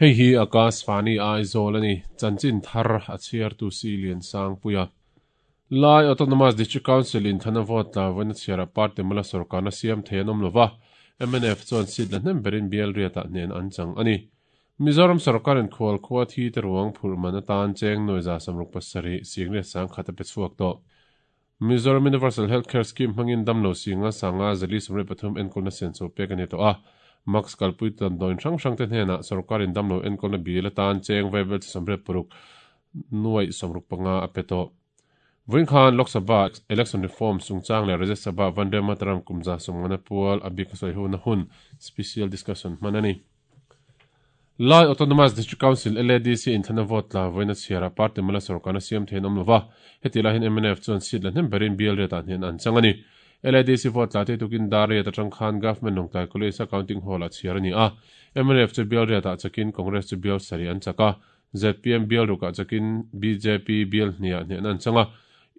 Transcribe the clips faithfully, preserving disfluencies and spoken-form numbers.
Hei hi Akashvani Aizawl ani chanchin thar a chhiar tu si lian sang puia. Lai Autonomous District Council in thana vote tla vawiin a chhiara party mala sarkarna siam thei an awm lova M N F chuan seat la hnem berin bial riatah hnen an chang ani. Mizoram sarkarin khual khua thi te ruang phurh man atan cheng nuai za samruk pasarih singlet sang khat a pe chhuak tawh. Mizoram Universal Healthcare Scheme hmangin damlo singa sanga zali sawmriat pathum enkawlna senso pek ani tawh a. Max kalpui tan dawn hrang hrang te hnenah sarkarin damlo enkawlna bil atan cheng vaibel chi sawmriat paruk nuai sawmruk panga a pe tawh. Vawiin khan Lok Sabha Election Reform chungchang leh Rajya Sabha Vande Mataram kumza sawmngana pual a bik a sawi huna hun special discussion hman ani. Lai Autonomous District Council L A D C in thana vote tla vawiin a chhiara party mala sarkarna siam thei an awm lova heti lahin M N F chuan seat la hnem berin bial riatah hnen an chang ani. L A D C vote tla te tukin dar riat atang khan Government Lawngtlai College a counting hall a chhiar ani a. M N F chu bial riatah chakin Congress chu bial sarih an chak a. Z P M bial rukah chakin B J P bial hniah hnen an chang a.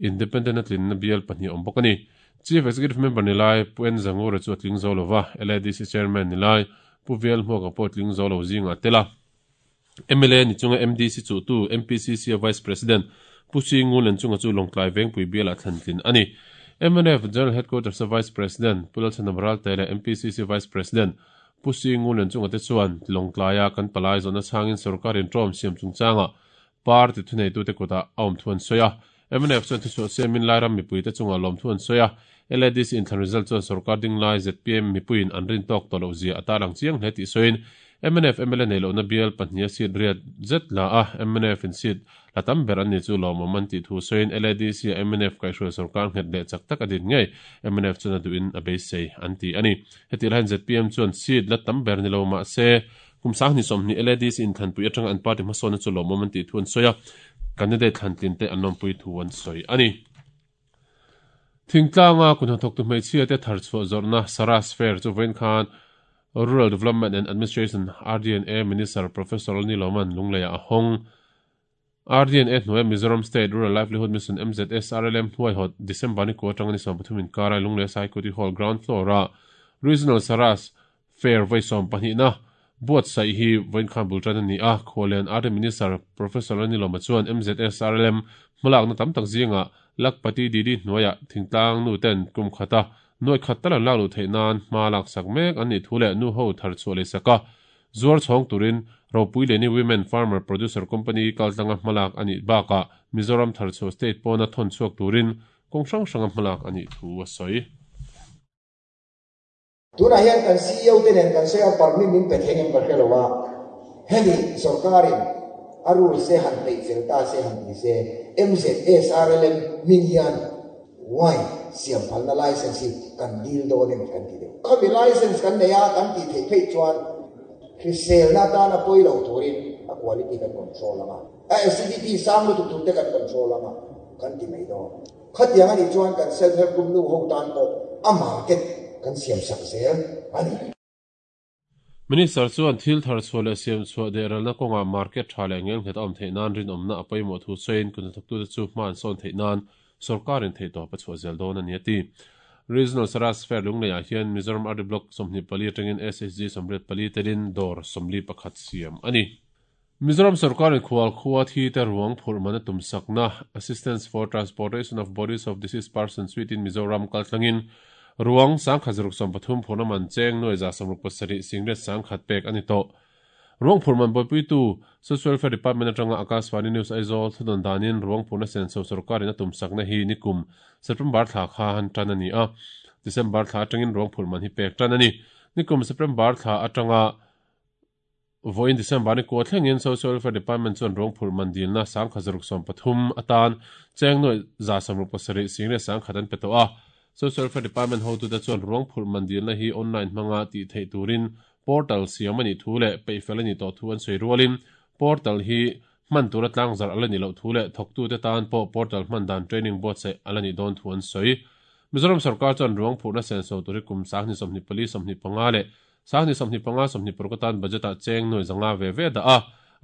Independent a tlinna bial pahnih awm bawk ani. Chief Executive Member nilai Pu N Zangura chu a tling zo lova L A D C Chairman nilai Pu Vel Hmuaka pawh tling zo lo zinga tela. M L A ni chunga M D C chu tu M P C C Vice President Pu Singulen chunga chu Lawngtlai Vengpui bialah thlantlin ani. M N F General Headquarters Vice President Pu Lalchhanam Ralte leh M P C C Vice President Pu Singulen chunga te chuan Lawngtlaia kan palai zawhna changin sarkarin ṭawm siam chungchanga party thuneitu te kutah a awm thu an sawi a. M N F chuan thuchhuah siamin Lairam mipui te chunga lawm thu an sawi a. L A D C inthlan result chuan sarkar ding lai Z P M mipuiin an rin tawk tawh loh zia a tarlang chiang hle tih sawiin M N F M L A nei lohna bial pahnih a seat riat zet la a M N F in seat la tam ber an ni chu lawmawm an tih thu sawiin L A D C a M N F kaihhruai sarkar nghet leh chak tak a din ngei M N F chuan a duhin a beisei an ti ani. Heti lahin Z P M chuan seat la tam ber ni lo mah se kum sang hnih sawmhnih L A D C inthlanpui atanga an party hmasawnna chu lawmawm an tih thu an sawi a. Candidate thlantlin te an lawmpui thu an sawi ani. Thingtlanga kun hnathawk tu hmeichhia te thar chhuah zawrhna Saras Fair chu vawiin khan Rural Development and Administration R D and A Minister Professor Lalniloman Lungleiah a hawng. R D and A hnuaia Mizoram State Rural Livelihood Mission M Z S R L M hnuaihawt December ni kua atanga ni sawm pathum inkarai Lunglei Saikuti Hall ground floor a Regional Saras Fair vawi sawm pahnihna buat sai hi vawiin khan bul tan ani a. Khawlian R D Minister Professor Lalniloma chuan M Z S R L M hmalakna tam tak zinga Lakpati D D hnuaia thingtlang nu ten kum khata nuai khat talan lak lu theih nan hma lak sak mek an ni thu leh nu ho thar chhuah lei saka zuar chhawng turin Ropui Leni Women Farmer Producer Company kaltlanga hmalak ani baka Mizoram thar chhuah state pawna thawn chhuak turin kawng hrang hranga hmalak ani thu a sawi. Tunah hian kan C E O te nen kan sawi a permit min pe thei ngem ka hre lo a. Hemi sarkarin a rule se han peih fel ta se han ti se M Z S R L M min hian wine siam phalna license hi kan deal dawn em kan ti deuh. Khami license kan nei a kan ti thei phei chuan hriselna atana pawi lo turin a quality kan control anga. A acidity sang lutuk tur te kan control anga kan ti mai dawn. Khatiang ani chuan kan self help group nu ho tan pawh a market kan siam sak zel ani. Minister chuan thil thar chhuah leh siam chhuah deh ralna kawnga market tha leh ngel nghet a awm theih nan rin awmna a pawimawh thu sawiin kun hnathawk tute chu hma an sawn theih nan sarkarin theih tawp a chhuah zel dawn ani a ti. Regional Saras Fair Lungleiah hian Mizoram R D Block sawmhnih pali atangin S H G sawmriat pali telin dawr sawmli pakhat siam ani. Mizoram sarkarin khual khua thi te ruang phurh man a tum sakna Assistance for Transportation of Bodies of Deceased Persons within Mizoram kaltlangin ruang sang khat zaruk sawm pathum phurna man cheng nuai za sawmruk pasarih singlet sang khat pek ani tawh. Ruang phurh man bawipui tu Social Welfare Department atanga Akashvani News Aizawl thudawn danin ruang phurhna senso sarkarin a tum sakna hi nikum September thla kha han tan ani a. December thla atangin ruang phurh man hi pek tan ani. Nikum September thla atanga vawiin December ni kua thlengin Social Welfare Department chuan ruang phurh man dilna sang khat zaruk sawm pathum atan cheng nuai za sawmruk pasarih singlet sang khat an pe tawh a. Social Welfare Department ho tu te chuan ruang phurh man dilna hi online hmanga ti theih turin portal siam ani thu leh peihfel ani tawh thu an sawi rualin portal hi hman tura tlang zar ala ni loh thu leh thawktu te tan pawh portal hman dan training board se ala ni dawn thu an sawi. Mizoram sarkar chuan ruang phurhna senso tur hi kum sang hnih sawmhnih pali sawmhnih panga leh sang hnih sawmhnih panga sawmhnih paruk atan budget ah cheng nuai zanga ve ve dah a.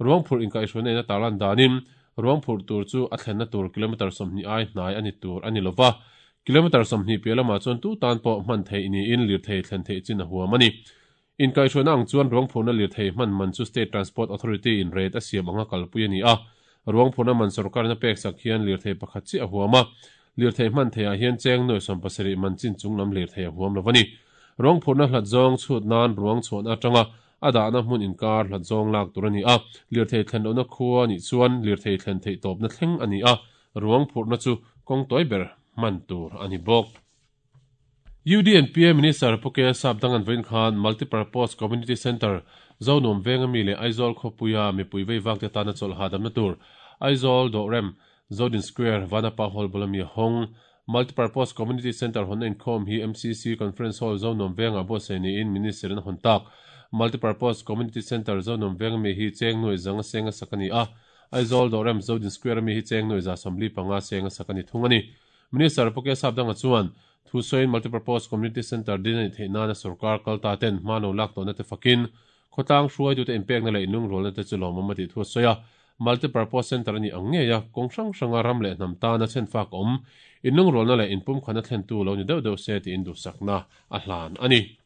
Ruang phurh inkaihhruai na tarlan danin ruang phurh tur chu a thlenna tur kilometer sawmhnih ai hnai ani tur ani lova. Kilometer sawmhnih piah lamah chuan tu tan pawh hman theih niin lir thei thlen theih chin a huam ani. In kai hruaina ang chuan ruang phurhna lirthei hman man chu State Transport Authority in rate a siam anga kalpui a ni a. Ruang phurhna man sorkarin a pek sak hian lirthei pakhat chiah a huam a. Lirthei hman theiah hian cheng nuai sawm pasarih man chin chung lam lirthei a huam lo a ni. Ruang phurhna hlat zawng chhut nan ruang chhuahna atanga a dahna hmun inkar hlat zawng lak tur a ni a. Lirthei thlen lohna khua nih chuan lirthei thlen theih tawpna thleng a ni a. Ruang phurhna chu kawng tawi ber hman tur a ni bawk. U D N P A Minister Pu K Sap Dangan vawiin khan Multipurpose Community Centre Zonuam venga mi leh Aizawl khawpuia mipui vei vak te tana chawlh hahdamna tur Aizawl Dawhrem Zodin Square Vanapa Hall bula mi hawng Multipurpose Community Centre hawnna inkhawm hi M C C Conference Hall Zonuam venga buatsaih niin Minister in a hawn tak. Multipurpose Community Centre Zonuam venga mi hi cheng nuai zanga senga sak a ni a. Aizawl Dawhrem Zodin Square mi hi cheng nuai za sawmli panga senga sak a ni thung a ni. Minister Pu K Sap Danga chuan Thu sawiin Multipurpose Community Centre din a ni theih nana sarkar kalta ten hma lo lak tawhna te fakin khawtlang hruai te inpekna leh inlungrualna te chu lawmawm a tih thu a sawi a. Multipurpose Centre a ni ang ngei a, kawng hrang hranga ram leh hnam tana chen fak awm inlungrualna leh inpumkhana thlen tu lo ni deuh deuh se tiin duhsakna a hlan a ni.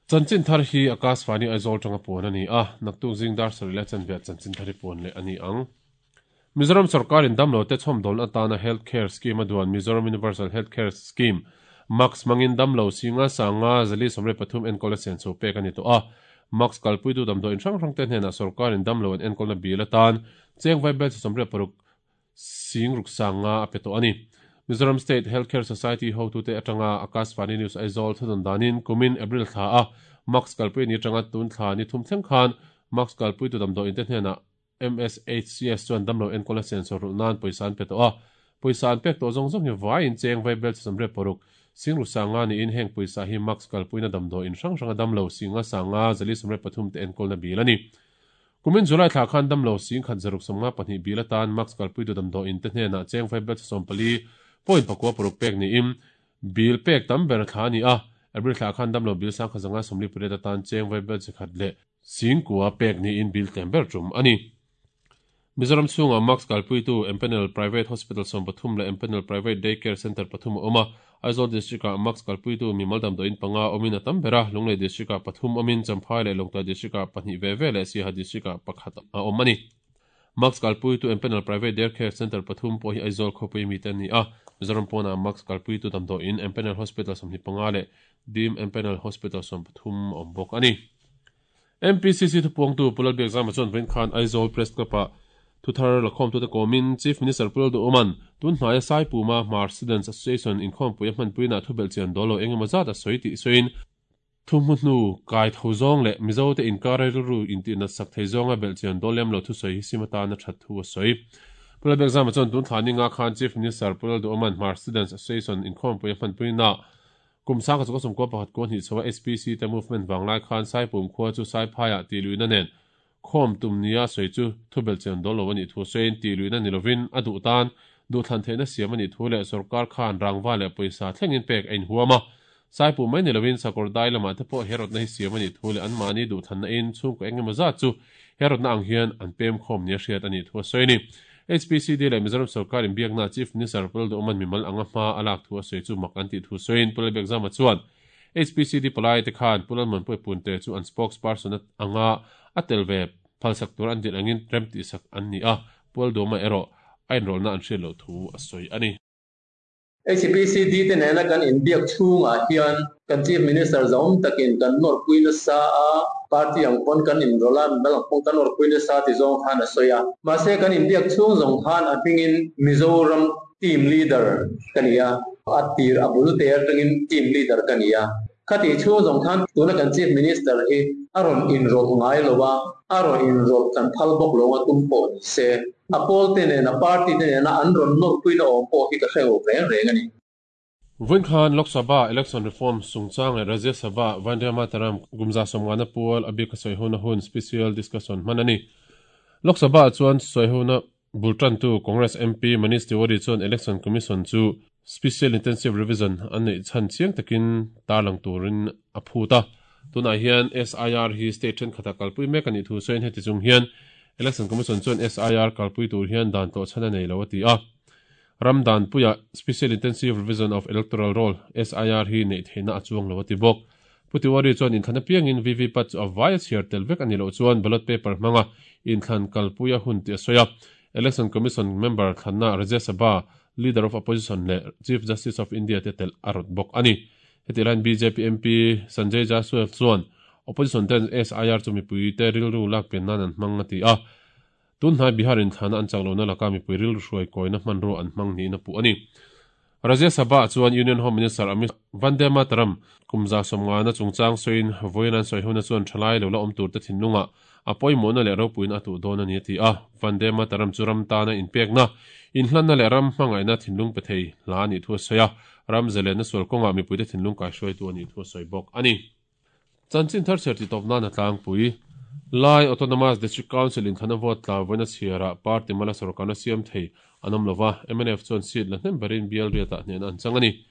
Chanchin thar hi Akashvani Aizawl tanga puan a ni a, naktuk zingdar sarih leh chanve chanchin thar hi puan leh a ni ang. Mizoram sarkarin damlo te chhawmdawlna atana Health Care Scheme a duan Mizoram Universal Health Care Scheme Max mangin damlo singa sanga zali somre pathum enkawl a sen chho pek a ni tawh a. Max kalpuitu damdaw in hrang hrang te hnenah sarkarin damlo an enkawlna bil atan cheng vai bel somre paruk sing ruk sanga a pe tawh a ni. Mizoram State Health Care Society hotu te atanga Akashvani News Aizawl thudon danin kumin April thla a Max kalpui ni atanga tun thla ni thum thleng khan Max kalpuitu damdaw in te hnenah M S H C S chuan damlo enkawl a sensor rulh nan pawisa an pe tawh a. Pawisa an pek tawh zawng zawng hi vaiin cheng vai bel somre paruk sing ru sanga niin heng pawisa hi Max kalpuina damdaw in hrang hranga damlo singa sanga zali somre pathum te enkawlna bil a ni. Kumin July thla khan damlo sing khat zaruk sawmnga pahnih bil atan Max kalpuitu damdaw in te hnenah cheng vai bel sawm pali point pakua paruk pek niin bil pek tam ber thla a ni a. April thla khan damlo bil sang kha zanga sawmli pariat atan cheng vai bel chikhat leh sing kua pek niin bil tlem ber tum a ni. Mizoram chhunga Max kalpuitu Empanel Private Hospital som pathum leh Empanel Private Daycare Center pathum a awm a. Aizawl District ah Max kalpuitu mimal damdaw in panga awmin a tam ber a. Lunglei District ah pathum awmin Champhai leh Lawngtlai District ah pahnih ve ve leh Siaha District ah pakhat a awm a ni. Max kalpuitu Empanel Private Daycare Center pathum pawh hi Aizawl khawpui mi te an ni a. Mizoram pawnah Max kalpuitu damdaw in Empanel Hospital sawmhnih panga leh Dim Empanel Hospital som pathum a awm bawk a ni. M P C C thupuangtu Pu Lalbiak Zama chuan vawiin khan Aizawl Press Club ah thuthar lakhawm tu te kawmin Chief Minister Pu Lalduh tun hnaia Saipuma Hmar Students Association inkhawmpui a hmanpuina thubel chian dawlo engemaw zat a sawi tih sawiin thu hmu hnu kai tho zawng leh Mizo te inkar rilru intihna sak thei zawnga bel chian dawl lem lo thu sawi hi sim atana that thu a sawi. Pu Lalbiak Zama chuan tun thla ninga khan Chief Minister Pu Lalduh Hmar Students Association inkhawmpui a hmanpuina kum sangka chu sawm kua pakhat kua hnih chhoa S P C te movement wanglai khan Saipum khua chu Saiphaiah tih luihna nen khawm tum nia sawi chu thubel chian dawl lo ani thu sawiin tih luihna ni lovin a duh tan duh thlan theihna siam ani thu leh sarkar khan rangwa leh pawisa thlengin pek a inhuam a. Saipum mai ni lovin sakawr dai lamah te pawh herawtna hi siam ani thu leh an mahni duh thlanna in chhungkaw engemaw zat chu herawtna ang hian an pem khawm nia hriat ani thu a sawi ni. H P C D leh Mizoram sarkar inbiakna Chief Minister Pu Lalduh mimal anga hma a lak thu a sawi chu mak an tih thu sawiin Pu Lalbiak Zama chuan H P C D palai te khan Pu Lalmuanpuii Punte chu an spokesperson anga a tel ve phalsak tur an din angin rem tih sak an ni a. Pu Lalduhawma erawh a inrawlna an hriat loh thu a sawi a ni. H P C D te nena kan inbiak chhungah hian kan Chief Minister zawm takin kan nawrpuina sa a party ang pawn kan inrawla mimal ang pawn kan nawrpuina sa ti zawng khan a sawi a. Mahse kan inbiak chhung zawng khan a hmingin Mizoram team leader ka ni a. A tir a bul te atangin team leader ka ni a. Khati chhung zawng khan tuna kan Chief Minister hi a rawn inrawlh ngai lo a, a rawn inrawlh kan phal bawk lo a tum pawh ni se. A pawl te nena party te nena an rawn nawrpuina awm pawh hi ka hre lo reng reng a ni. Vawiin khan Lok Sabha Election Reform chungchang leh Rajya Sabha Vande Mataram Gumza sawmngana pual a bik a sawi hona hun special discussion hman a ni. Lok Sabha chuan sawi hona bultan tu Congress M P Manish Tiwari chuan Election Commission chu Special Intensive Revision an nei chan chiang takin tarlang turin a phuta. Tunah hian S I R hi state then khata kalpui mek ani thu sawiin heti chung hian Election Commission chuan S I R kalpui tur hian dan tawh chhan a nei lo a ti a. Ramdan puia Special Intensive Revision of Electoral Roll S I R hi nei theihna a chuang lo a ti bawk. Pu Tiwari chuan inthlan apiangin V V PAT chu a vaia chhiar tel vek a nih loh chuan ballot paper hmanga inthlan kalpuia hun tih a sawi a. Election Commission member thlanna Rajya Sabha Leader of Opposition leh Chief Justice of India te tel a rawt bawk a ni. Heti laiin B J P M P Sanjay Jaiswal chuan opposition ten S I R chu mipui te rilru lak pen nan an hmang a ti a. Tun hnai Bihar inthlana an chak lohna laka mipui rilru hruai kawina hmanrua an hmang niin a puh a ni. Rajya Sabha chuan Union Home Minister Amit Vande Mataram kumza sawmngana chungchang sawiin vawiin an sawi hona chuan thalai lo la awm tur te thinlunga a pawimawhna leh ropuiin a tuh dawn a ni a ti a. Vande Mataram chu ram tana inpekna inhlanna leh ram hmangaihna thinlung pe thei hla a nih thu a sawi a. Ram zalenna sual kawnga mipuite thinlung kaihruaitu a nih thu a sawi bawk a ni. Chanchin thar chhiar ti tawp nan a tlangpui. Lai Autonomous District Council inthlana vote tla vawiin a chhiarah party mala sorkarna siam thei an awm lova, M N F chuan seat la hnem berin bial riatah hnehna an chang a ni.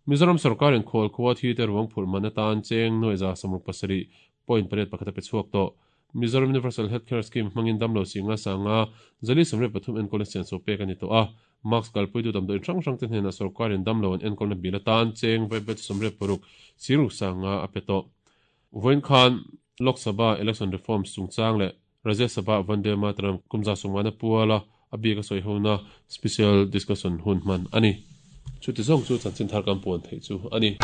Mizoram sorkarin khawl khua thi te ruang phurh man atan cheng nuai za sawmruk pasarih point pariat pakhat a pe chhuak tawh. Mizoram Universal Healthcare Scheme hmangin damlo singa sanga zali sawmriat pathum enkawlna sian so pek a ni tawh a. Mask kalpuitu damdawi hrang hrang te hnenah sorkarin damlo an enkawlna bil atan cheng vaibelchhe sawmriat paruk siruk sanga a pe tawh. Vawiin khan Lok Sabha election reforms chungchang leh Rajya Sabha Vande Mataram kumza sawmngana puala a bik a sawi hona special discussion hun hman a ni. Chuti zawng chu chanchin thar kan puan theih chu a ni.